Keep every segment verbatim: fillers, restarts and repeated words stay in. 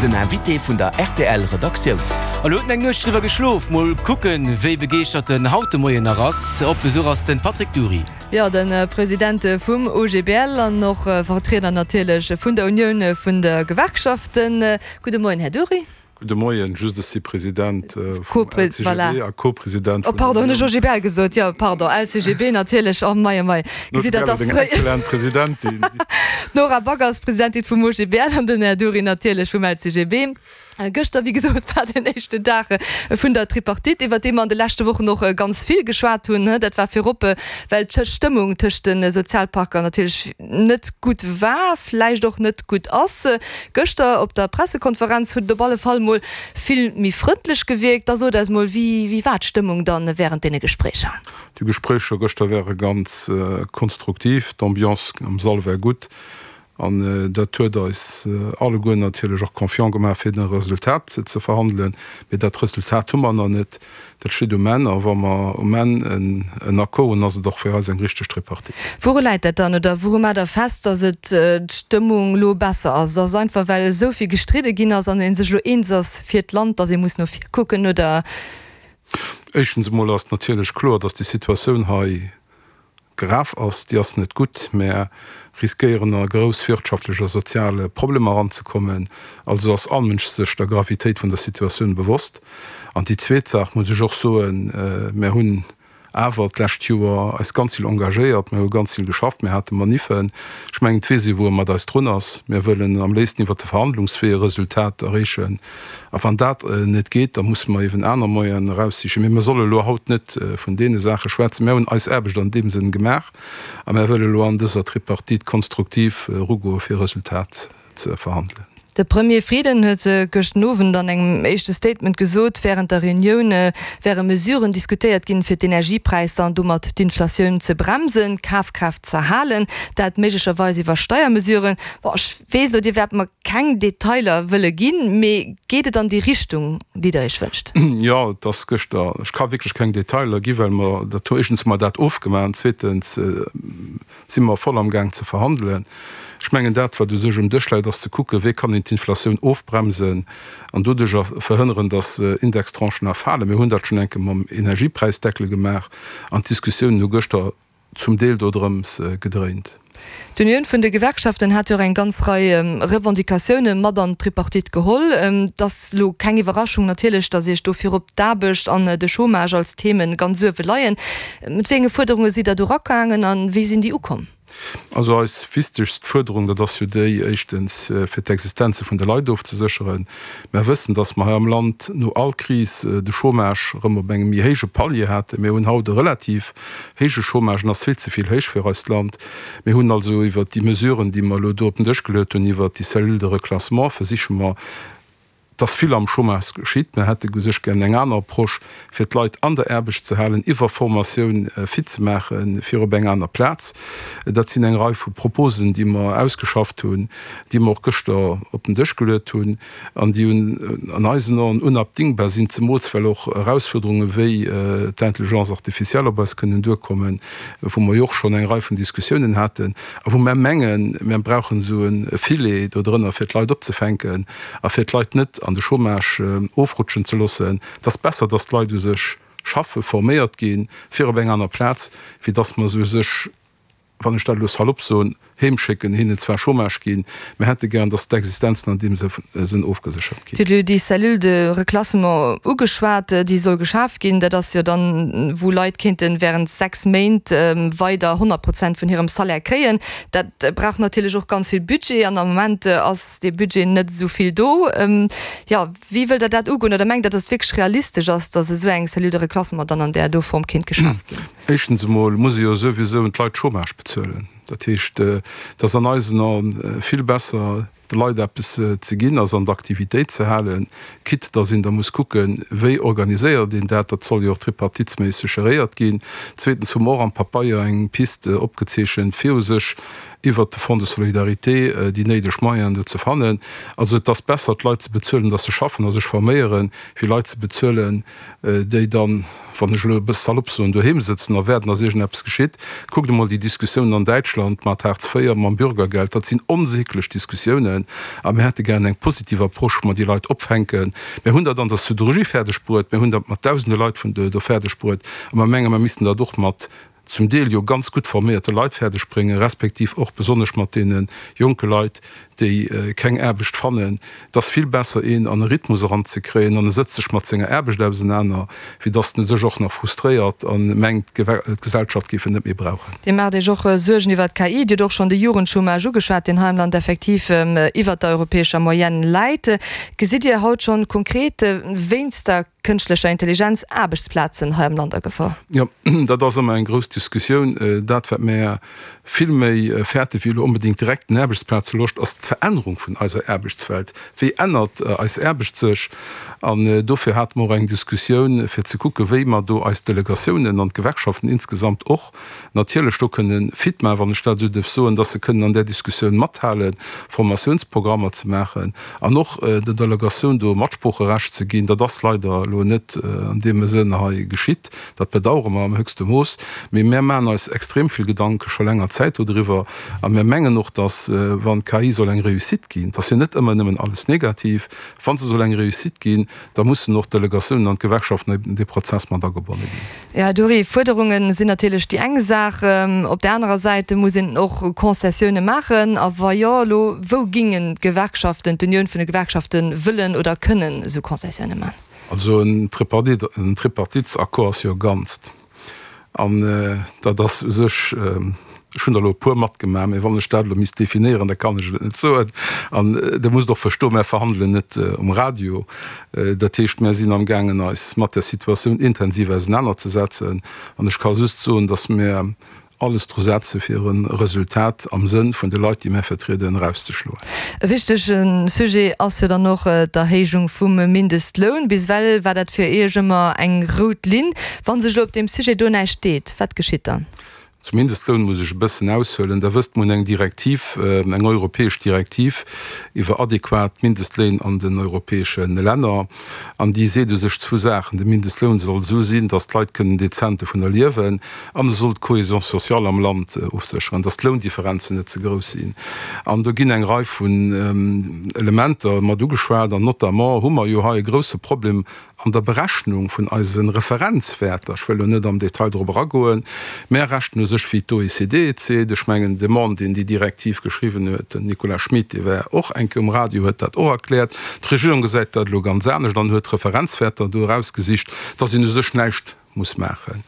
Den Invité vun der R T L Redaktioun. A lo huet en eng Nuecht driwwer geschlof. Mol kucken, wéi begeeschtert en haut de Moien nach ass. Op Besuch ass de Patrick Dury. Jo, de President vum O G B L an och Vertrieder natierlech vun der Unioun vun de Gewerkschaften. Gudde Moien, Här Dury. Gudde Moien, just ech si President vum L C G B a Co-President. Oh pardon, hunn ech O G B L gesot? Jo, pardon, L C G B natierlech. Oh mei, oh mei. Gesitt Der, et ass fréi. Excellent Presidentin. D'Nora Back ass Presidentin vum O G B L an den Här Dury natierlech vum L C G B. Gëschter, wéi gesot, war den éischten Dag vun der Tripartite, iwwer dee mer an de leschte Wochen och ganz vill geschwat hunn. Dat war virop, well d'Stëmmung tëscht de Sozialpartner natierlech net gutt war, vläicht och net gutt ass. Gëschter op der Pressekonferenz huet et op alle Fall mol vill méi frëndlech gewierkt. Da sot eis mol, wéi wéi war d'Stëmmung dann wärend deene Gespréicher? Déi Gespréicher gëschter ware ganz konstruktiv, d'Ambiance am Sall war gutt an dat huet eis alleguer natierlech och confiant gemaach fir den Resultat ze verhandelen. Mee dat Resultat hu mer nach net, dat steet um Enn a wa mer um Enn en Accord hunn, ass et och fir eis eng richteg Tripartite. Wouru läit dat dann oder wouru maacht Der fest, datt et d'Stëmmung lo besser ass? Ass einfach well esou vill gestridde ginn ass an ee sech lo eens ass fir d'Land, datt ee muss no vir kucken oder? Éischtens emol ass natierlech kloer, datt déi Situatioun hei grav ass, déi ass net gutt. Mär riskéieren a grouss wirtschaftlech a sozial Problemer eranzekommen. Also ass all Mënsch sech der Gravitéit vun der Situatioun bewosst. An déi zweet Saach muss ech och soen, mär hunn awer d'lescht Joer eis ganz vill engagéiert, mär hu ganz vill geschafft, mär hate Maniffen. Ech mengen, et weess ee wou e mat eis drun ass. Mär wëllen am léifsten iwwert de Verhandlungswee e Resultat erreechen. A wann dat net geet, da musse mer eben aner Moyenen eraussichen. Mee mer solle elo haut net vun deene Saache schwätzen. Mär hunn eis Aarbecht an deem Sënn gemaach a mär wëlle elo an dëser Tripartite konstruktiv erugoe fir e Resultat ze verhandelen. De Premier Frieden huet gëschten Owend an engem éischte Statement gesot, wärend der Reunioun wäre Mesuren diskutéiert ginn, fir d'Energiepräisser an domat d'Inflatioun ze bremsen, d'Kafkraaft z'erhalen, dat méiglecherweis iwwer Steiermesuren. Bon, ech weess elo, Dir wäert mer keng Detailer wëlle ginn, mee geet et an déi Richtung, déi Der Iech wënscht? Jo, et ass gëschter, ech ka wierklech keng Detailer gi well mer dat hu éischtens hu mer dat ofgemaach an zweetens si mer voll am Gaang ze verhandelen. Ech mengen dat, wat u sech um Dësch läit, ass ze kucken, wéi kann een d'Inflatioun ofbremsen an doduercher verhënneren, datt Indextranchen erfalen. Mir hunn dat schonn eng Kéier mam Energiepräisdeckel gemaach an d'Diskussiounen hu gëschter zum Deel dodrëms gedréint. D'Unioun vun de Gewerkschaften hat jo och eng ganz Rei Revendicatioune mat an d'Tripartite geholl. Et ass elo keng Iwwerraschung natierlech, datt Iech do virop d'Aarbecht an de Chômage als Themen ganz uewe leien. Mat wéi enge Fuerderunge sidd Der do eragaangen an wéi sinn déi ukomm? Also eis wichtegst Fuerderung, dat ass jo déi, éischtens fir d'Existenze vun de Leit ofzesécheren. Mer wëssen, datt mer hei am Land no all Kris de Chômage erëm op engem méi héije Palier haten. Mir hunn haut e relativ héije Chômage, en ass vill ze vill héich fir eist Land. Mir hunn also iwwert déi Mesuren, déi mer elo do op den Dësch geluet hunn, iwwert déi Cellule de reclassement, versiche mer, dass vill am Chômage geschitt. Mir hätte u sech gär eng aner Approche, fir d'Leit an der Aarbecht ze halen, iwwer Formatioun fit ze maachen, fir op eng aner Plaz. Dat sinn eng Rei vu Proposen, déi mer ausgeschafft hunn, déi mer och gëschter op den Dësch geluet hunn an déi un an eisen Aen unabdingbar sinn, zemools well och Erausfuerderunge wéi d'Intelligence artificielle op eis kënnen duerkommen, wou mer jo och schonn eng Rei vun Diskussiounen haten a wou mer mengen, mer brauchen esou e Filet do drënner, fir d'Leit opzefänken a fir d'Leit net an de Chômage ofrutschen ze loossen. Et ass besser, dass d'Leit u sech schaffe, forméiert ginn, fir op eng aner Plaz, wéi dass mer se u sech, wann ech dat elo salopp soen, heem schécken, hinnen zwar Chômage ginn, mä hätte gären, dass d'Existenzen an deem Sënn ofgeséchert ginn. Dir hutt elo déi Cellule de reclassement ugeschwat, déi soll geschaf ginn. Dat ass jo dann, wou Leit kéinte während sechs Méint weider honnert Prozent vun hirem Salaire kréien. Dat brauch natierlech och ganz vill Budget an am Moment ass dee Budget net esou vill do. Jo, wéi wëllt Der dat ugoen oder mengt Der, dass et wierklech realistesch ass, dass esou eng Cellule de reclassement dann an där do Form kéint geschaf ginn? Éischtens emol muss ee jo souwisou d'Leit Chômage bezuelen. Dat heescht, et ass an eisen Aen vill besser, de Leit eppes ze ginn a se an der Aktivitéit ze halen, quitte dass een da muss kucken, wéi organiséiert een dat. Dat soll jo och tripartitsméisseg geréiert ginn. Zweetens hu mer och am Papeier eng Piste opgezeechent, fir u sech iwwert de Fonds de solidarité déi néideg Moyenen do ze fannen. Also et ass besser, d'Leit ze bezuelen, dass se schaffen a sech forméieren, wéi Leit ze bezuelen, déi dann, wann ech elo e bësse salopp soen, doheem sëtzen a waarden, dass iergendeppes geschitt. Kuckt emol déi Diskussiounen an Däitschland mat Hartz véier, mam Bürgergeld. Dat sinn onsäglech Diskussiounen. fannen. A mir hätte gären eng positiv Approche, wou mer déi Leit opfänken. Mir hunn dat an der Siderurgie fäerdeg bruet, mir hunn dat mat dausende Leit vun do fäerdeg bruet a mer menge mer missten dat och mat zum Deel jo ganz gutt forméierte Leit fäerdeg bréngen, respektiv och besonnesch mat deene jonke Leit, déi keng Aarbecht fannen. Et ass vill besser, een an e Rhythmus eranzekréien an e sëtzt sech mat senger Aarbecht ausenaner, wéi datt en sech och nach frustréiert a mengt, d'Gesellschaft géif en net méi brauchen. Dir maacht Iech och Suergen iwwer d'K I. Dir hutt och schonn de Jugendchômage ugeschwat, deen hei am Land effektiv iwwer der europäescher Moyenne läit. Gesitt Dir haut schonn konkret wéinst der kënschtlecher Intelligenz Aarbechtsplazen hei am Land a Gefor? Jo, dat ass ëmmer eng grouss Diskussioun. Dat, wat mär vill méi fäerte wéi elo onbedéngt direkt den Aarbechtsplazverloscht, ass d'Verännerung vun eiser Aarbechtswelt. Wéi ännert eis Aarbecht sech? An dofir hate mer och eng Diskussioun, fir ze kucken, wéi mer do eis Delegatiounen an d'Gewerkschaften insgesamt och natierlech do kënnen fit maachen, wann ech dat esou dierf soen, dass se kënnen an där Diskussioun mathalen, Formatiounsprogrammer ze maachen an och der Delegatioun do Matsproocherecht ze ginn. Dat ass leider elo net an deem Sënn hei geschitt. Dat bedauere mer am höchste Mooss. Mee mär maachen eis extrem vill Gedanke scho länger Zäit dodriwwer a mär mengen och, dass, wann d'K I soll eng Réussite ginn, et ass jo net ëmmer nëmmen alles negativ, wa se soll eng Réussite ginn, da mussen och d'Delegatiounen an d'Gewerkschaften an dee Prozess mat agebonne ginn. Jo, Här Dury, Fuerderunge sinn natierlech déi eng Saach. Op där anerer Säit muss een och Concessioune maachen. A wa jo, elo wou gingen d'Gewerkschaften, d'Unioun vun de Gewerkschaften wëllen oder kënnen esou Concessioune maachen? Also en Tripartitesaccord ass jo e Ganzt. An dat ass u sech, ech hunn der elo e puer matgemaach, mä wann ech dat elo misst definéieren, da kann ech et net soen. An Der musst och verstoen, mär verhandelen net um Radio. Dat heescht, mär sinn amgaangen eis mat der Situatioun intensiv ausenanerzesetzen. An ech ka just soen, datt mär alles dru setze fir e Resultat am Sënn vun de Leit, déi mär vertrieden, erauszeschloen. E wichtege Sujet ass jo dann och d'Erhéijung vum Mindestloun. Bis ewell war dat fir Iech ëmmer eng rout Linn. Wa sech elo op deem Sujet do näischt deet, wat geschitt dann? Zum Mindestloun muss ech e bëssen aushuelen. Der wësst, mir hunn eng Direktiv, eng europäesch Direktiv iwwer adequat Mindestléin an den europäesche Länner. An déi seet u sech zwou Saachen, De Mindestloun soll esou sinn, datt d'Leit kënnen dezent dovunner liewen, an e soll d'Cohésion sociale am Land ofsécheren, datt d'Loundifferenzen net ze grouss sinn. An do ginn eng Rei vun Elementer mat ugeschwat, an notamment hu mer jo hei e grousse Problem an der Berechnung vun eise Referenzwäerter. Ech wëll elo net am Detail drop eragoen. Mär rechnen u sech wéi d'O E C D et seet. Ech mengen, de Mann, deen déi Direktiv geschriwwen huet, den Nicolas Schmit, dee war och eng Kéier um Radio, huet dat och erkläert. D'Regierung gesäit dat elo ganz anescht an huet Referenzwäerter do erausgesicht, dass een u sech näischt muss maachen.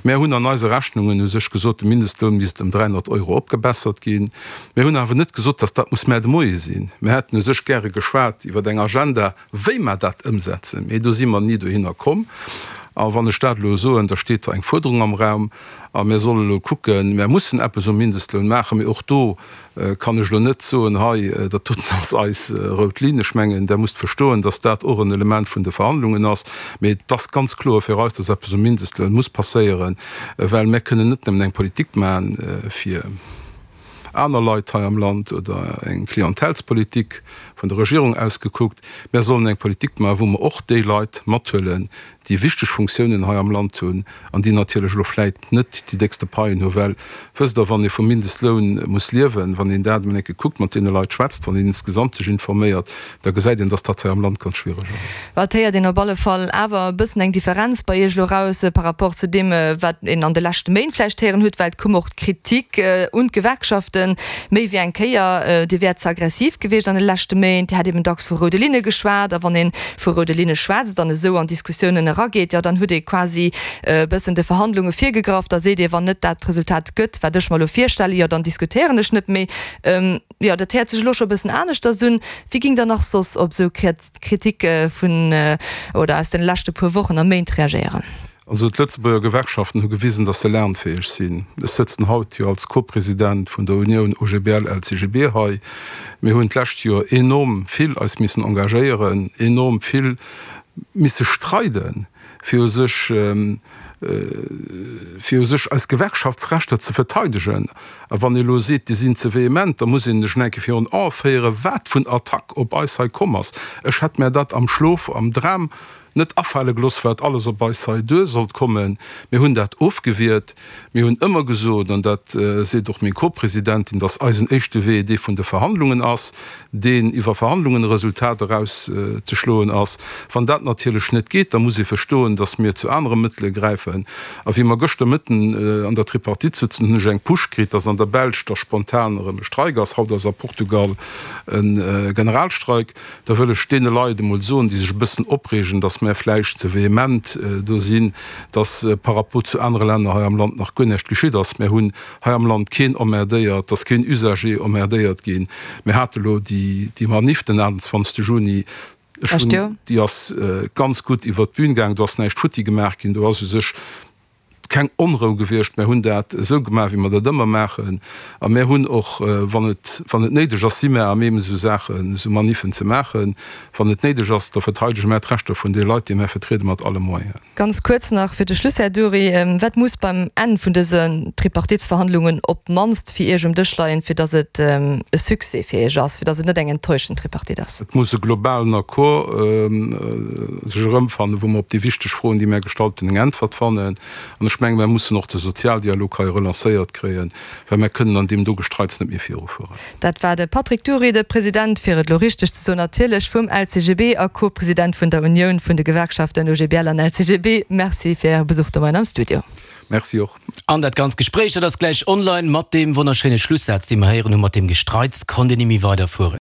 Mär hunn an eise Rechnungen u sech gesot, de Mindestloun misst ëm dräihonnert Euro opgebessert ginn. Mir hunn awer net gesot, dass dat muss mä de Moie sinn. Mir hätten u sech gäre geschwat iwwer eng Agenda, wéi mer dat ëmsetzen, mee do si mer ni dohinner komm. A wann ech dat elo soen, da steet da eng Fuerderung am Raum a mir solle elo kucken, mir mussen eppes um Mindestloun maachen, mee och do kann ech elo net soen, hei, dat doten ass eis rout Linn. Ech mengen, Der musst verstoen, dass dat och en Element vun de Verhandlungen ass. Mee et ass ganz kloer fir eis, dass eppes um Mindestloun muss passéieren, well mir kënnen net nëmmen eng Politik maachen fir aner Leit hei am Land oder eng Klientelspolitik vun der Regierung aus gekuckt. Mir sollen eng Politik maachen, wou mer och déi Leit mathuelen, déi wichteg Funktiounen hei am Land hunn an déi natierlech elo vläit net déi déckste Paien hunn, well, wësst Der, wann ee vum Mindestloun muss liewen, wann een dat emol eng Kéier kuckt, mat deene Leit schwätzt, wann een insgesamt sech informéiert, da gesäit een, dass dat hei am Land ganz schwiereg ass. Et héiert een op alle Fall awer e bëssen eng Differenz bei Iech elo eraus par rapport zu deem, wat een an de leschte Méint vläicht héieren huet, well et koum och d'Kritik un d'Gewerkschaften méi wéi eng Kéier, Dir wäert ze aggressiv gewiescht an de leschte Méint, Dir hätt eben dacks vu roude Linne geschwat. A wann ee vu roude Linne schwätzt an esou an Diskussiounen erageet, jo dann huet ee quasi e bëssen de Verhandlunge virgegraff. Da seet ee, wann net dat Resultat gëtt, wat ech mer elo virstellen, jo dann diskutéieren ech net méi. Jo, dat héiert sech elo scho e bëssen aneschters un. Wéi géingt Der nach soss op esou Kritik vun oder aus de leschte puer Wochen a Méint reagéieren? Also d'Lëtzebuerger Gewerkschaften hu gewisen, datt se lernfäeg sinn. Ech sëtzen haut jo als Co-President vun der Unioun O G B L L C G B hei. Mir hunn d'lescht Joer enorm vill eis missen engagéieren, enorm vill misse streiden, fir u sech, fir u sech eis Gewerkschaftsrechter ze verteidegen. A wann ee elo seet, déi sinn ze vehement, da muss een sech eng Kéier virun Ae féieren, wat vun Attack op eis hei komm ass. Ech hätt mär dat am Schlof, am Dram net afale gelooss, wat alles op eis hei duer sollt kommen. Mir hunn dat ofgewiert. Mir hunn ëmmer gesot, an dat seet och meng Co-Presidentin, dass eisen éischte Wee dee vun de Verhandlungen ass, deen iwwer Verhandlungen e Resultat erauszeschloen ass. Wann dat natierlech net geet, da muss ee verstoen, dass mir zu anere Mëttele gräifen. A wéi mer gëschter Mëtten an der Tripartite sutzen, hunn ech eng Push kritt, dass an der Belsch da spontan erëm e Streik ass. Haut ass a Portugal e Generalstreik. Da wëll ech deene Leit emol soen, déi sech e bëssen opreegen, dass mär vläicht ze vehement do sinn, dass par rapport zu anere Länner hei am Land nach guer näischt geschitt ass. Mär hunn hei am Land keen emmerdéiert, dass keen Usager emmerdéiert ginn. Mir hate lo déi Manif den achtundzwanzegste Juni, ech hunn, déi ass ganz gutt iwwert d'Bün gaangen, do ass näischt futti gemaach ginn, do ass u sech keng Onrou gewiescht. Mär hunn dat esou gemaach, wéi mer dat ëmmer maachen. A mär hunn och, wann et, wann et néideg ass, si mär à même, esou Saachen, esou Maniffen ze maachen. Wann et néideg ass, da verteidege mär d'Rechter vun de Leit, déi mär vertrieden, mat alle Moyenen. Ganz kuerz nach fir de Schluss, Här Dury, Wat muss beim Enn vun dësen Tripartitsverhandlungen op d'mannst fir Iech um Dësch leien, fir datt et e Succès fir Iech ass, fir datt et net eng enttäuschend Tripartite ass? Et muss e globalen Accord sech erëmfannen, wou mer op déi wichteg Froen, déi mär gestallt hunn, eng Äntwert fannen. An ech mengen, mär mussen och de Sozialdialog hei relancéiert kréien, well mär kënnen an deem do Gestreits net méi virufueren. Dat war de Patrick Dury, de President, fir et elo richteg ze soen natierlech, vum L C G B a Co-President vun der Unioun vun de Gewerkschaften O G B L an L C G B. Merci fir Äre Besuch de Moien am Studio. Merci och. An dat ganzt Gespréich, dat ass gläich online mat deem wonnerschéine Schlussaz, dee mer héieren hunn, mat deem Gestreits konnt een ni méi weiderfueren.